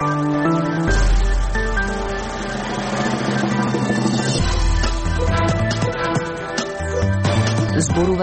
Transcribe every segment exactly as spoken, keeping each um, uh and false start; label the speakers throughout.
Speaker 1: Зборува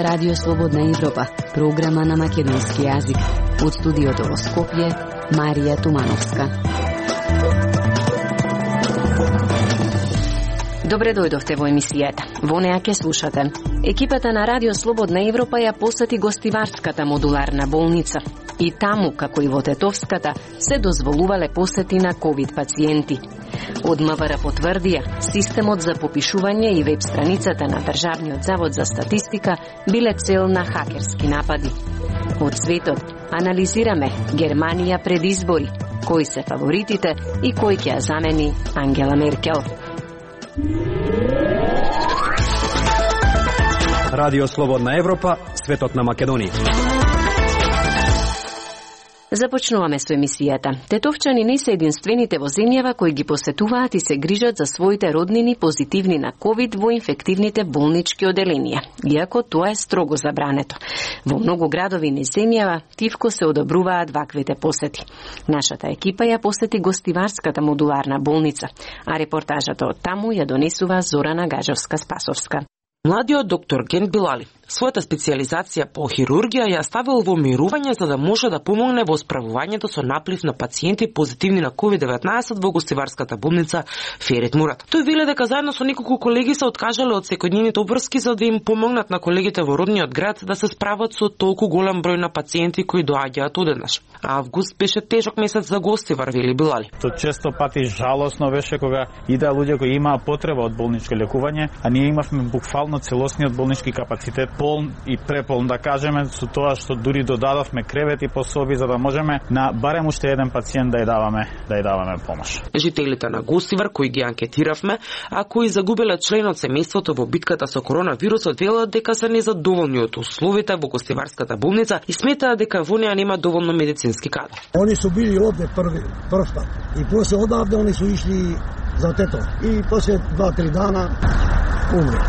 Speaker 1: Радио Слободна Европа, програма на македонски јазик. Од студиото во Скопје, Марија Тумановска. Добре дојдовте во емисијата. Во неа ќе слушате. Екипата на Радио Слободна Европа ја посети гостиварската модуларна болница. И таму, како и во Тетовската, се дозволувале посети на ковид пациенти. Од МВР потврдија, системот за попишување и веб страницата на Државниот завод за статистика биле цел на хакерски напади. Од светот анализираме Германија пред избори, кои се фаворитите и кој ќе ја замени Ангела Меркел.
Speaker 2: Радио Слободна Европа, светот на Македонија.
Speaker 1: Започнуваме со емисијата. Тетовчани не се единствените во земјава кои ги посетуваат и се грижат за своите роднини позитивни на ковид во инфективните болнички оделенија, иако тоа е строго забрането. Во многу градови низ земјава тивко се одобруваат ваквите посети. Нашата екипа ја посети гостиварската модуларна болница, а репортажата од таму ја донесува Зорана Гажевска-Спасовска.
Speaker 3: Младиот доктор Ген Билали својата специјализација по хирургија ја ставил во мирување за да може да помогне во справувањето со наплив на пациенти позитивни на ковид деветнаесет во гостиварската болница Ферит Мурат. Тој вели дека заедно со неколку колеги се откажале од секојдневните обврски за да им помогнат на колегите во родниот град да се справат со толку голем број на пациенти кои доаѓаат одеднаш. А август беше тежок месец за гостивар, вели Билали.
Speaker 4: То често пати жалосно беше кога идеа луѓе кои имаа потреба од болничко лекување, а ние имавме буквално целосниот болнички капацитет полн и преполн, да кажеме, со тоа што дури додадовме кревети по соби за да можеме на барем уште еден пациент да ја даваме, да ја даваме помош.
Speaker 3: Жителите на Гостивар кои ги анкетиравме, а кои загубиле член од семејството во битката со коронавирусот, велат дека се незадоволни од условите во гостиварската болница и сметаат дека во неа нема доволно медицински кадар.
Speaker 5: Они су били овде први прв пат и после одавде они су ишли за Тето и после два-три дана умре.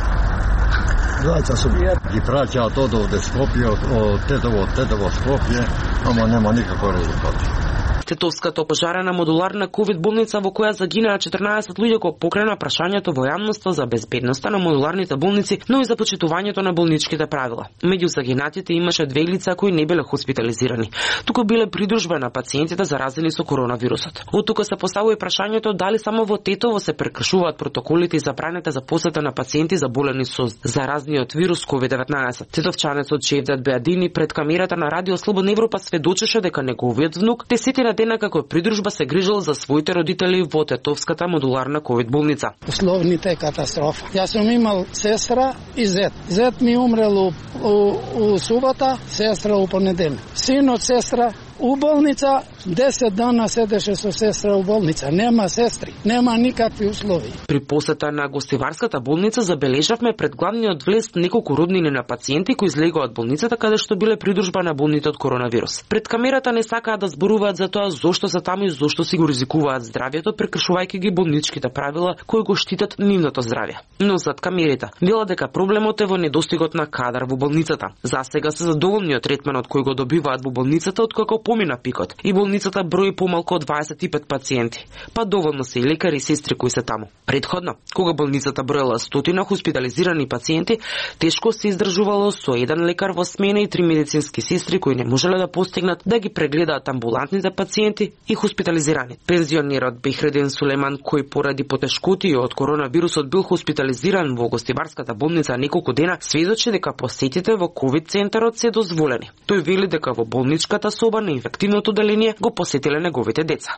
Speaker 5: Двајца су.
Speaker 6: Ги праќаат од овде Скопје, од Тетово, од Тетово Скопје, ама нема никаква резултат.
Speaker 3: Тетовската пожарена модуларна ковид болница во која загинаа четрнаесет луѓе го покрена прашањето во јавноста за безбедноста на модуларните болници, но и за почитувањето на болничките правила. Меѓу загинатите имаше две лица кои не биле хоспитализирани, туку биле придружба на пациентите заразени со коронавирусот. Од тука се поставува и прашањето дали само во Тетово се прекршуваат протоколите и забраните за посета на пациенти заболени со заразниот вирус ковид деветнаесет. Тетовчанецот Чевдат Беадини пред камерата на Радио Слободна Европа сведочеше дека неговиот внук десетина дена како придружба се грижал за своите родители во Тетовската модуларна ковид болница.
Speaker 7: Условните е катастрофа. Јас сум имал сестра и зет. Зет ми умрел у, у, у субота, сестра у понеделник. Синот сестра у болница, десет дана седеше со сестра у болница. Нема сестри, нема никакви услови.
Speaker 3: При посета на гостиварската болница забележавме пред главниот влез неколку роднини на пациенти кои излегоа од болницата каде што биле придружба на болните од коронавирус. Пред камерата не сакаат да зборуваат за тоа зошто се таму и зошто си го ризикуваат здравјето, прекршувајќи ги болничките правила кои го штитат нивното здравје. Но зад камерите велат дека проблемот е во недостигот на кадар во болницата. За сега се задоволни од третманот кој го добиваат во болницата откако помина пикот и болницата брои помалку од дваесет и пет пациенти, па доволно се и лекари и сестри кои се таму. Предходно, кога болницата броела стотина хоспитализирани пациенти, тешко се издржувало со еден лекар во смена и три медицински сестри кои не можеле да постигнат да ги прегледаат амбулантните пациенти и хоспитализирани. Пензионерот Бехреден Сулеман, кој поради потешкоти од коронавирусот бил хоспитализиран во гостиварската болница неколку дена, сведочи дека посетите во ковид центарот се дозволени. Тој вели дека во болничката соба на инфективното оделение го посетиле неговите деца.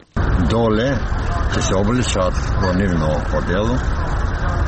Speaker 6: Доле ќе се обличат во нивно подело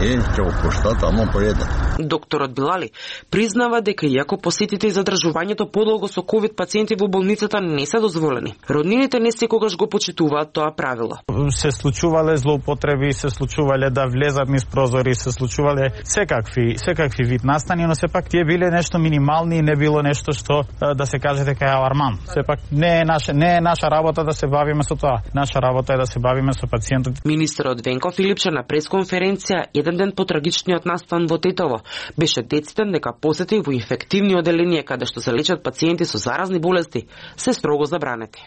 Speaker 6: и ќе го пуштат тамо по еден.
Speaker 3: Докторот Билали признава дека иако посетите и задржувањето подолго со ковид пациенти во болницата не се дозволени, роднините не секогаш го почитуваат тоа правило.
Speaker 4: Се случувале злоупотреби, се случувале да влезат низ прозори, се случувале секакви, секакви вид настани, но сепак тие биле нешто минимални и не било нешто што да се каже дека е аларман. Сепак не е наша, не е наша работа да се бавиме со тоа. Наша работа е да се бавиме со пациентот.
Speaker 3: Министерот Венко Филипче на пресконференција еден ден по трагичниот настан во Тетово беше децитен дека посети во инфективни оделенија каде што се лечат пациенти со заразни болести се строго забранети.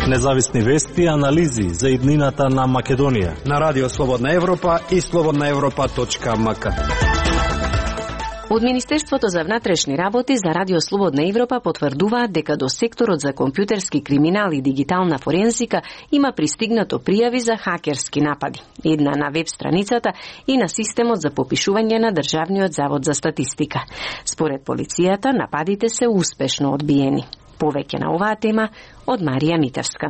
Speaker 8: Независни вести и анализи за иднината на Македонија
Speaker 2: на Радио Слободна Европа и слободна европа точка м к.
Speaker 1: Од Министерството за внатрешни работи за Радио Слободна Европа потврдуваат дека до секторот за компјутерски криминал и дигитална форензика има пристигнато пријави за хакерски напади. Една на веб страницата и на системот за попишување на Државниот завод за статистика. Според полицијата, нападите се успешно одбиени. Повеќе на оваа тема од Марија Митевска.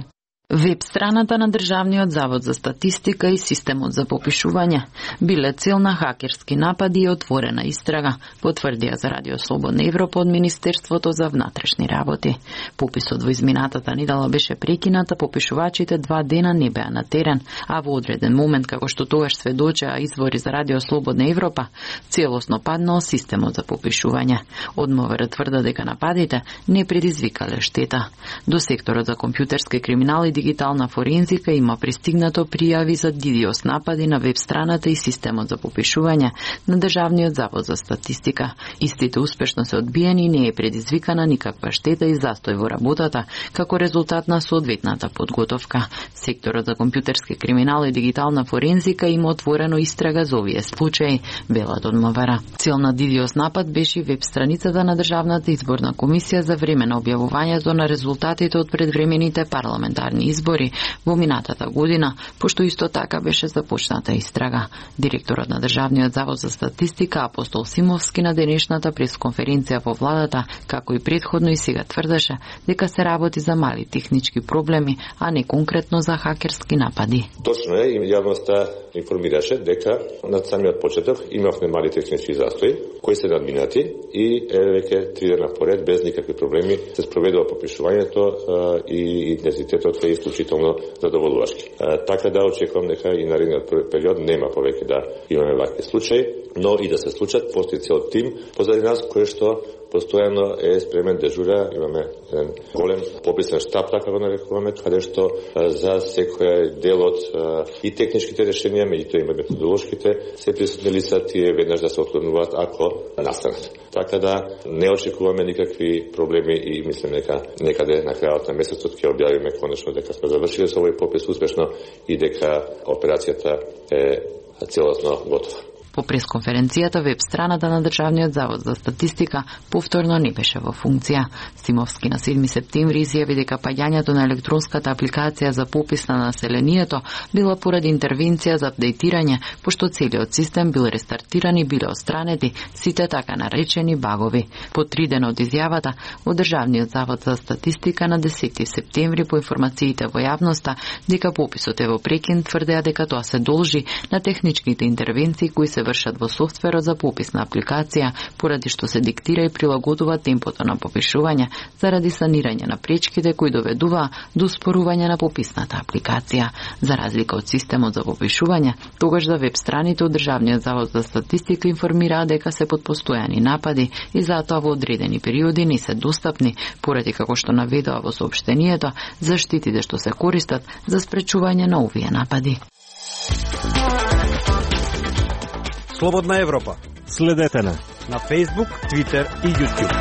Speaker 9: Веб страната на Државниот завод за статистика и системот за попишување биле цел на хакерски напади и отворена истрага, потврдија за Радио Слободна Европа од Министерството за внатрешни работи. Пописот во изминатата недела беше прекината, попишувачите два дена не беа на терен, а во одреден момент, како што тогаш сведочеа извори за Радио Слободна Европа, целосно паднал системот за попишување. Од МВР тврда дека нападите не предизвикале штета. До секторот за компјутерски криминал и дигитална форензика има пристигнато пријави за дидиос напади на веб страната и системот за попишување на Државниот завод за статистика. Истите успешно се одбиени и не е предизвикана никаква штета и застој во работата како резултат на соодветната подготовка. Секторот за компјутерски криминал и дигитална форензика има отворено истрага за овие случаи, велат од МВР. Цел на дидиос напад беше веб страницата на Државната изборна комисија за време на објавувањето на резултатите од предвремените парламентарни избори во минатата година, пошто исто така беше започната истрага. Директорот на Државниот завод за статистика Апостол Симовски на денешната пресконференција во владата, како и претходно и сега тврдеше дека се работи за мали технички проблеми, а не конкретно за хакерски напади.
Speaker 10: Точно е, јавноста информираше дека на самиот почеток имавме мали технички застои кои се надминати и веќе три дена поред без никакви проблеми се спроведува попишувањето и интензитетот е исклучително задоволувачки. Така да очекувам дека и наредниот период нема повеќе да имаме вакви случаи, но и да се случат, постои цел тим позади нас кој што постојано е спремен дежура, имаме еден голем пописен штаб, така го нарекуваме, каде што за секој дел од и техничките решенија, меѓутоа и методолошките, се присутни лица тие веднаш да се отклонуваат ако настанат. Така да не очекуваме никакви проблеми и мислам дека некаде на крајот на месецот ќе објавиме конечно дека сме завршиле со овој попис успешно и дека операцијата е целосно готова.
Speaker 9: По пресконференцијата веб страната на Државниот завод за статистика повторно не беше во функција. Симовски на седми септември изјави дека паѓањето на електронската апликација за попис на населението била поради интервенција за апдейтирање, пошто целиот систем бил рестартиран и биле отстранети сите така наречени багови. По три дена од изјавата, од Државниот завод за статистика на десети септември по информациите во јавноста дека пописот е во прекин, тврдеа дека тоа се должи на техничките интервенции кои се вршат во софтверот за попис на апликација, поради што се диктира и прилагодува темпото на попишување заради санирање на пречките кои доведуваа до спорување на пописната апликација. За разлика од системот за попишување, тогаш за веб страните од Државниот завод за статистика информираа дека се под постојани напади и затоа во одредени периоди не се достапни, поради како што наведува во соопштението заштитите што се користат за спречување на овие напади.
Speaker 2: Слободна Европа.
Speaker 8: Следете на
Speaker 2: на Facebook, Twitter и YouTube.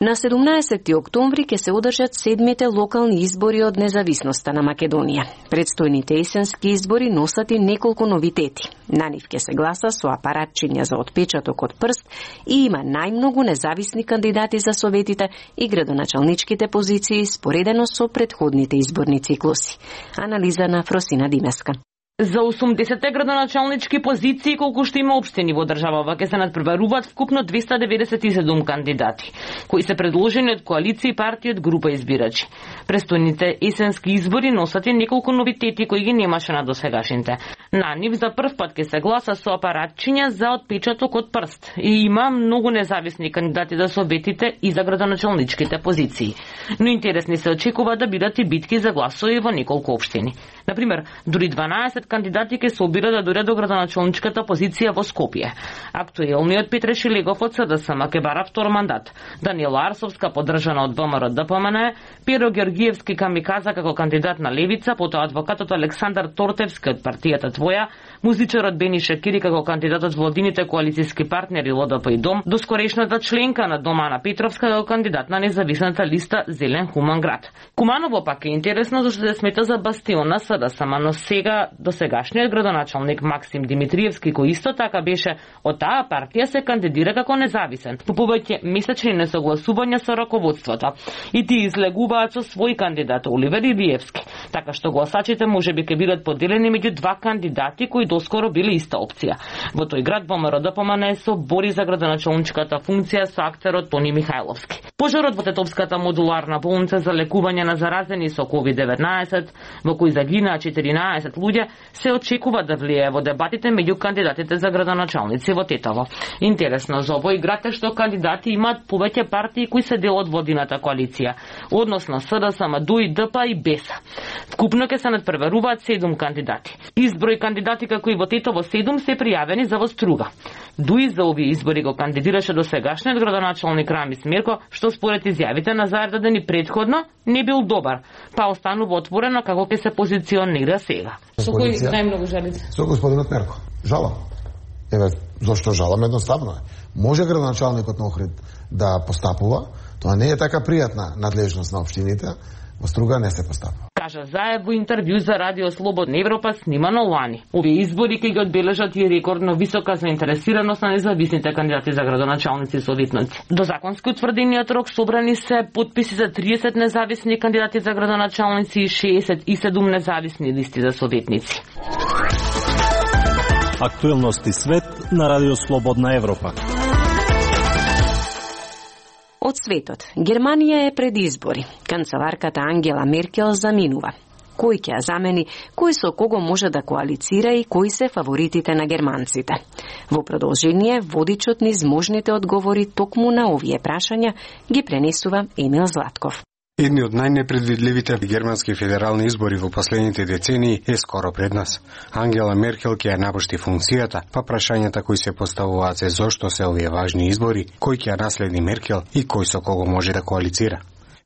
Speaker 1: На седумнаесети октомври ќе се одржат седмите локални избори од независноста на Македонија. Предстојните есенски избори носат и неколку новитети. На нив ќе се гласа со апаратчиња за отпечаток од прст и има најмногу независни кандидати за советите и градоначалничките позиции споредено со претходните изборни циклуси. Анализа на Фросина Димеска.
Speaker 3: За осумдесет градоначалнички позиции колку што има општини во државава ќе се надпреваруваат вкупно двеста деветдесет и седум кандидати, кои се предложени од коалиција и партии од група избирачи. Престојните есенски избори носат и неколку новитети кои ги немаше на досегашните. На нив за прв пат ќе се гласа со апаратчиња за отпечаток од прст и има многу независни кандидати за советите и за градоначалничките позиции. Но интересни се очекува да бидат и битки за гласови во неколку општини. Например, дури дванаесет триесет кандидати ќе се обират да дојдат до градоначалничката позиција во Скопје. Актуелниот Петре Шилегов од СДСМ ќе бара втор мандат. Даниела Арсовска, поддржана од ВМРО Д П М Н, Перо Георгиевски камиказа како кандидат на Левица, потоа адвокатот Александар Тортевски од партијата Твоја, музичарот Бени Шакири како кандидат од владините коалициски партнери Л Д П и Дом, доскорешната членка на Домана Петровска како кандидат на независната листа Зелен Хуман град. Куманово пак е интересно зашто се смета за бастион на СДСМ, но сега досегашниот градоначалник Максим Димитриевски, кој исто така беше од таа партија, се кандидира како независен, по повеќе месечни несогласувања со раководството. И тие излегуваат со свој кандидат Оливер Илиевски, така што гласачите можеби ќе бидат поделени меѓу два кандидати кои доскоро биле иста опција. Во тој град ВМРО Д П М Н се бори за градоначалничката функција со актерот Тони Михајловски. Пожарот во Тетовската модуларна болница за лекување на заразени со ковид деветнаесет, во кој загинаа четиринаесет луѓе, се очекува да влијае во дебатите меѓу кандидатите за градоначалници во Тетово. Интересно за овој град е што кандидати имаат повеќе партии кои се дел од владината коалиција, односно СДСМ, Д У И, Д П и Беса. Вкупно ќе се надпреверуваат седум кандидати. Изброј кандидати како и во Тетово седум се пријавени за во Струга. Д У И за овие избори го кандидираше до сегашниот градоначалник Рамис Мерко, што според изјавите на заедно дени предходно не бил добар, па останува отворено како ќе се позиционира сега. Со кој најмногу жалите?
Speaker 11: Со господинот Мерко. Жалам. Еве, зошто жалам? Едноставно е. Може градоначалникот на Охрид да постапува, тоа не е така пријатна надлежност на општините, во Струга не се постапува.
Speaker 3: Кажа Заев во интервју за Радио Слободна Европа снимано лани. Овие избори ќе ги одбележат и рекордно висока заинтересираност на независните кандидати за градоначалници и советници. До законски утврдениот рок собрани се потписи за триесет независни кандидати за градоначалници и шеесет и седум независни листи за советници.
Speaker 8: Актуелности свет на Радио Слободна Европа.
Speaker 1: Од светот, Германија е пред избори. Канцеларката Ангела Меркел заминува. Кој ќе ја замени, кој со кого може да коалицира и кои се фаворитите на германците. Во продолжение, водичот низ можните одговори токму на овие прашања ги пренесува Емил Златков.
Speaker 2: Едни од најнепредвидливите германски федерални избори во последните децении е скоро пред нас. Ангела Меркел ќе ја напушти функцијата, па прашањата кои се поставуваат се зошто се овие важни избори, кој ќе ја наследи Меркел и кој со кого може да коалицира.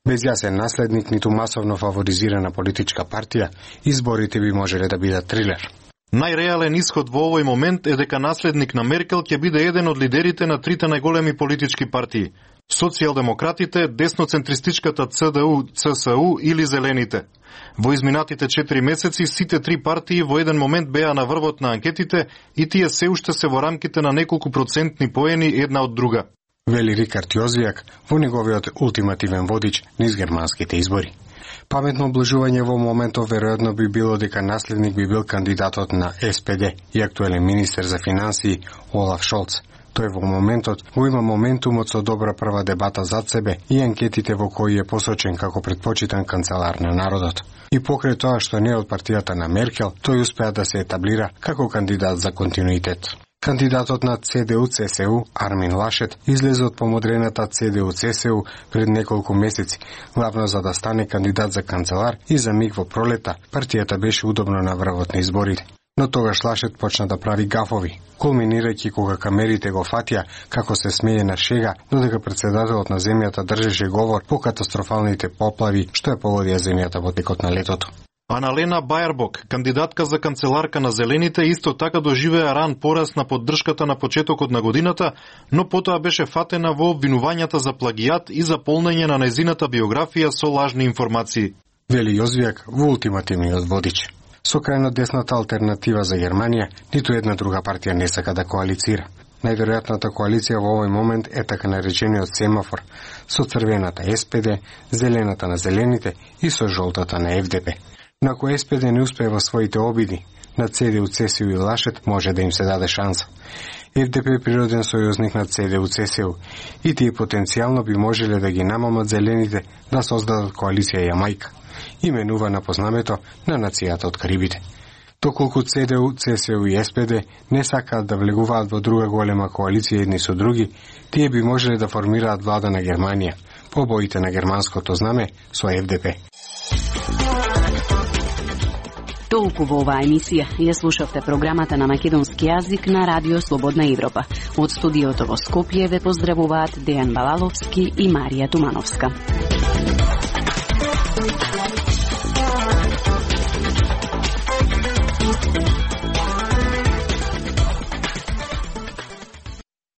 Speaker 2: Без јасен наследник, ниту масовно фаворизирана политичка партија, изборите би можеле да бидат трилер.
Speaker 12: Најреален исход во овој момент е дека наследник на Меркел ќе биде еден од лидерите на трите најголеми политички партии: социјалдемократите, десноцентристичката Ц Д У, Ц С У или Зелените. Во изминатите четири месеци сите три партии во еден момент беа на врвот на анкетите и тие се уште се во рамките на неколку процентни поени една од друга.
Speaker 2: Вели Рикард Јозијак во неговиот ултимативен водич низ германските избори. Паметно облажување во моментов веројатно би било дека наследник би бил кандидатот на С П Д и актуелен министер за финансии Олаф Шолц. Тој во моментот го има моментумот со добра прва дебата зад себе и анкетите во кои е посочен како предпочитан канцелар на народот. И покрај тоа што не е од партијата на Меркел, тој успеа да се етаблира како кандидат за континуитет. Кандидатот на Ц Д У Ц С У, Армин Лашет, излезе од помодрената Ц Д У Ц С У пред неколку месеци, главно за да стане кандидат за канцелар и за миг во пролета, партијата беше удобно на врвот на изборите. Но тогаш Лашет почна да прави гафови, кулминирајќи кога камерите го фатија како се смее на шега, додека председателот на земјата држеше говор по катастрофалните поплави што ја погодија земјата во текот на летото.
Speaker 12: Аналена Баербок, кандидатка за канцеларка на Зелените, исто така доживеа ран порас на поддршката на почетокот на годината, но потоа беше фатена во обвинувањата за плагијат и за полнење на незината биографија со лажни информации.
Speaker 2: Вели Јозијак во ултимативниот водич. Со крајно десната алтернатива за Германија, ниту една друга партија не сака да коалицира. Најверојатната коалиција во овој момент е така наречениот семафор, со црвената С П Д, зелената на Зелените и со жолтата на Ф Д П. Но ако С П Д не успее во своите обиди, на Ц Д У Ц С У и Лашет може да им се даде шанса. Ф Д П е природен сојузник на Ц Д У Ц С У и тие потенцијално би можеле да ги намамат Зелените да создадат коалиција Јамајка, именувана по знамето на нацијата од Карибите. Доколку Ц Д У, Ц С У и С П Д не сакаат да влегуваат во друга голема коалиција едни со други, тие би можеле да формираат влада на Германија, по боите на германското знаме со Ф Д П.
Speaker 13: Толку во оваа емисија ја слушавте програмата на македонски јазик на Радио Слободна Европа. Од студиото во Скопје ве поздравуваат Дејан Балаловски и Марија Тумановска.